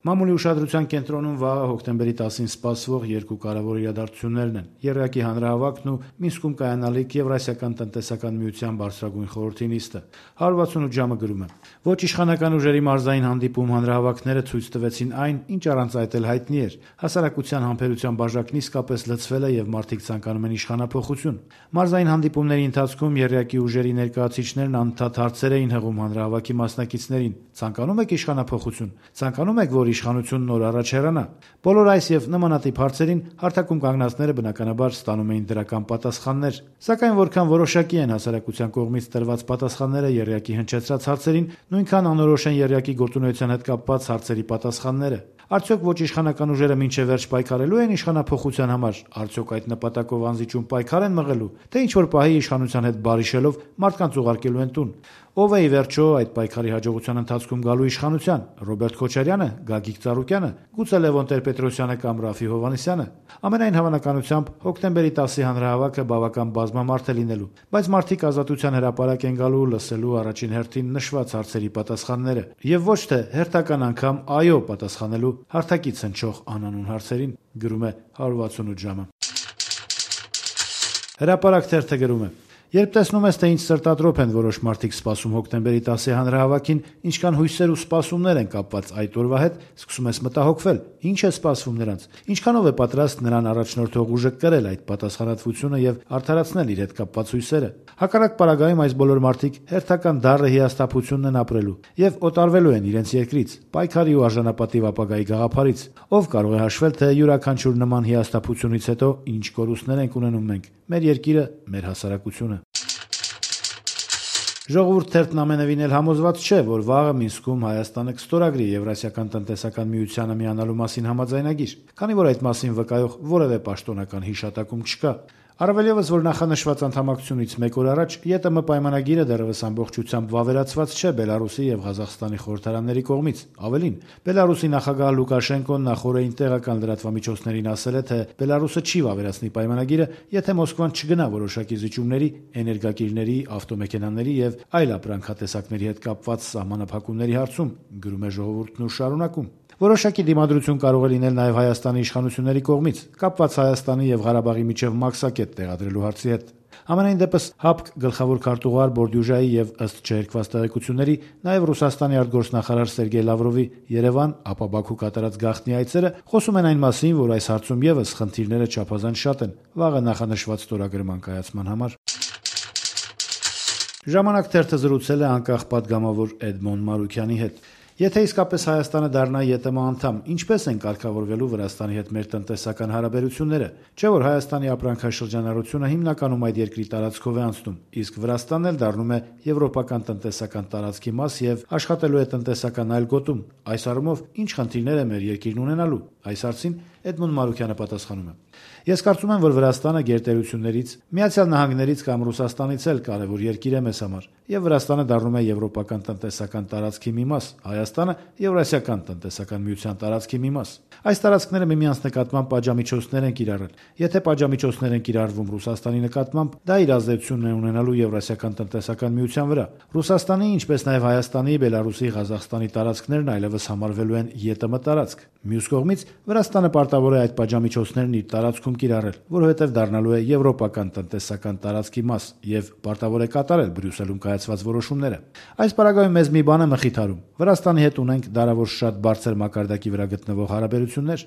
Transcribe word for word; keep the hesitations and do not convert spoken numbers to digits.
Մամուլի ուշադրության կենտրոնում վաղը հոկտեմբերի տասին սպասվող երկու կարևոր իրադարձություններն են՝ Եռյակի հանրահավաքն ու Մինսկում կայանալիք Եվրասիական տնտեսական միության բարձրագույն խորհրդի նիստը։ հարյուր վաթսունութ ժամը գրում է. Ոչ իշխանական ուժերի մարզային հանդիպում հանրահավաքները ցույց տվեցին այն, ինչ առանց այդ էլ հայտնի էր։ Հասարակության համբերության բաժակն իսկապես լցվել է եւ մարդիկ ցանկանում են իշխանափոխություն։ Մարզային հանդիպումների ընթացքում Եռյակի ուժերի ներկայացուցիչներն անդադար հարցեր էին հղում հանրահավաքի մասնակիցներին. ցանկանում եք իշխանափոխություն, ցանկանում եք, որ իշխանությունն նոր առաջ հեռանա։ Բոլոր այս եւ նմանատիպ հարցերին հարթակում կանգնածները բնականաբար ստանում էին դրական պատասխաններ։ Սակայն որքան որոշակի են հասարակության կողմից տրված պատասխանները Եռյակի հնչեցրած հարցերին, նույնքան անորոշ են Եռյակի գործունեության հետ կապված հարցերի պատասխանները։ Արդյոք ոչ իշխանական ուժերը մինչև վերջ պայքարելու են իշխանափոխության համար, արդյոք այդ նպատակով անզիջում պայքար են մղելու, թե ինչ որ պահի իշխանության հետ բարիշելով մարդկանց ուղարկելու են տուն։ Ով է ի վերջո այդ պայքարի հաջողության ընթացքում գալու իշխանության՝ Ռոբերտ Քոչարյանը, Գագիկ Ծառուկյանը, գուցե Լևոն Տեր-Պետրոսյանը կամ Ռաֆի Հովհաննիսյանը։ Ամենայն հավանականությամբ հոկտեմբերի տասի հանրահավաքը բավական բազմամարդ է լինելու, բայց մարդիկ ազատության հրապարակ են գալու լսելու առաջին հերթին նշված հարցերի պատասխանները եւ ոչ թե հերթական անգամ այո պատասխանելու հարթակից հնչող անանուն հարցերին, գրում է հարյուր վաթսունութ ժամը։ Հրապարակ թերթը գրում է. Երբ տեսնում ես, թե ինչ սրտատրոփ են որոշ մարդիկ սպասում հոկտեմբերի տասի հանրահավաքին, ինչքան հույսեր ու սպասումներ են կապված այդ օրվա հետ, սկսում ես մտահոգվել. ինչ է սպասվում նրանց, ինչքանով է պատրաստ նրան առաջնորդող ուժը կրել այդ պատասխանատվությունը եւ արդարացնել իր հետ կապված հույսերը։ Հակառակ պարագայում այս բոլոր մարդիկ հերթական դառը հիասթափությունն են ապրելու եւ օտարվելու են իրենց երկրից, պայքարի ու արժանապատիվ ապագայի գաղափարից։ Ով կարող է հաշվել, թե յուրաքանչյուր նման հիասթափությունից հետո ինչ կորուստներ ենք ունենում մենք, մեր երկիրը, մեր հասարակությունը։ Ժողովուրդ թերթն ամենևին էլ համոզված չէ, որ վաղը Մինսկում Հայաստանը կստորագրի Եվրասիական տնտեսական միությանը միանալու մասին համաձայնագիր, քանի որ այդ մասին վկայող որևէ պաշտոնական հիշատակում չկա։ Առավել ևս, որ նախանշված անդամակցությունից մեկ օր առաջ ԵՏՄ պայմանագիրը դեռևս ամբողջությամբ վավերացված չէ Բելարուսի եւ Ղազախստանի խորհրդարանների կողմից։ Ավելին, Բելարուսի նախագահ Լուկաշենկոն նախորդին տեղական լրատվամիջոցներին ասել է, թե Բելարուսը չի վավերացնի պայմանագիրը, եթե Մոսկվան չգնա որոշակի զիջումների, էներգակիրների, ավտոմեքենաների եւ այլ ապրանքատեսակների հետ կապված սահմանափակումների հարցում, գրում է Ժողովուրդն ու շարունակում. Որոշակի դիմադրություն կարող է լինել նաև Հայաստանի իշխանությունների կողմից, կապված Հայաստանի եւ Ղարաբաղի միջև մաքսակետ տեղադրելու հարցի հետ։ Համենայն դեպս ՀԱՊԿ գլխավոր քարտուղար Բորդյուժայի եւ ըստ չհերկված տեղեկությունների նաև Ռուսաստանի արտգործնախարար Սերգեյ Լավրովի Երևան, ապա Բաքու կատարած գաղտնի այցերը խոսում են այն մասին, որ այս հարցում եւս խնդիրները չափազանց շատ են վաղը նախանշված ստորագրման կայացման համար։ Ժամանակ թերթը զրուցել է անկախ պատգամավոր Էդմոն Մարուքյանի հետ։ Եթե իսկապես Հայաստանը դառնա ԵՏՄ անդամ, ինչպես են կարգավորվելու Վրաստանի հետ մեր տնտեսական հարաբերությունները, չէ՞ որ Հայաստանի ապրանքաշրջանառությունը հիմնականում այդ երկրի տարածքով է անցնում, իսկ Վրաստանն էլ դառնում է եվրոպական տնտեսական տարածքի մաս եւ աշխատելու է տնտեսական այլ գոտում։ Այս առումով ինչ խնդիրներ է մեր երկիրն ունենալու։ Այս հարցին Էդմոն Մարուքյանը պատասխանում է. Ես կարծում եմ, որ Վրաստանը գերտերություններից, Միացյալ Նահանգներից կամ Ռուսաստանից էլ կարևոր երկիր է մեզ համար, եւ Վրաստանը դառնում է եվրոպական տնտեսական տարածքի մի մաս, Հայաստանը Եվրասիական տնտեսական միության տարածքի մի մաս։ Այս տարածքները միմյանց նկատմամբ պատժամիջոցներ են կիրառել։ Եթե պատժամիջոցներ են կիրառվում Ռուսաստանի նկատմամբ, դա իր ազդեցությունն է ունենալու Եվրասիական տնտեսական միության վրա։ Ռուսաստանի, ինչպես նաեւ Հայաստանի, Բելարուսի, Ղազախստանի տարածքներն այլևս համարվելու են ԵՏՄ տարածք։ Մյուս կողմից Վրաստանը պարտավոր է այդ պատժամիջոցներն իր տարածքում կիրառել, որովհետև դառնալու է եվրոպական տնտեսական տարածքի մաս եւ պարտավոր է կատարել Բրյուսելում կայացված որոշումները։ Այս պարագայում մեզ մի բան է մխիթարում. Վրաստանի հետ ունենք դարավոր շատ բարձր մակարդակի վրա գտնվող հարաբերություններ։